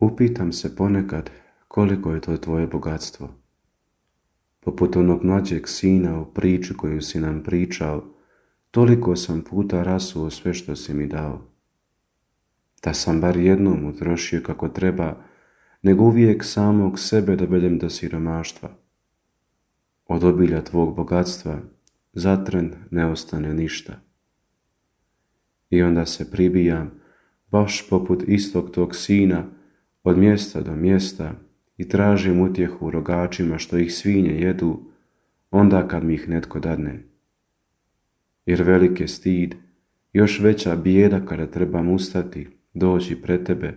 Upitam se ponekad koliko je to tvoje bogatstvo. Poput onog mlađeg sina u priču koju si nam pričao, toliko sam puta rasuo sve što si mi dao. Da sam bar jednom utrošio kako treba, nego uvijek samog sebe dovedem do siromaštva. Od obilja tvog bogatstva zatren ne ostane ništa. I onda se pribijam, baš poput istog tog sina, od mjesta do mjesta i tražim utjehu u rogačima što ih svinje jedu, onda kad mi ih netko dadne. Jer velik je stid, još veća bijeda kada trebam ustati, doći pred tebe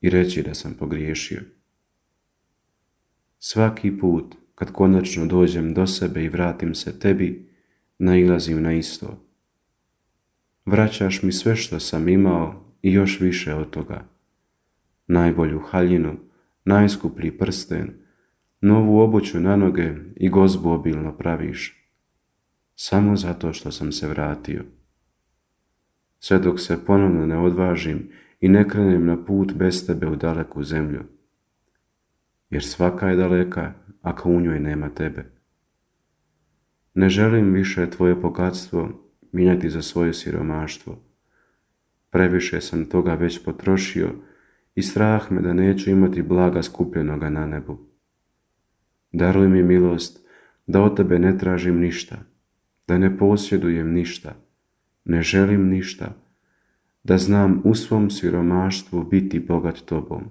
i reći da sam pogriješio. Svaki put kad konačno dođem do sebe i vratim se tebi, nailazim na isto. Vraćaš mi sve što sam imao i još više od toga. Najbolju haljinu, najskuplji prsten, novu obuću na noge i gozbu obilno praviš. Samo zato što sam se vratio. Sve dok se ponovno ne odvažim i ne krenem na put bez tebe u daleku zemlju. Jer svaka je daleka ako u njoj nema tebe. Ne želim više tvoje bogatstvo mijenjati za svoje siromaštvo. Previše sam toga već potrošio i strah me da neću imati blaga skupljenoga na nebu. Daruj mi milost da od tebe ne tražim ništa, da ne posjedujem ništa, ne želim ništa, da znam u svom siromaštvu biti bogat tobom.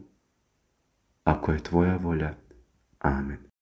Ako je tvoja volja, amen.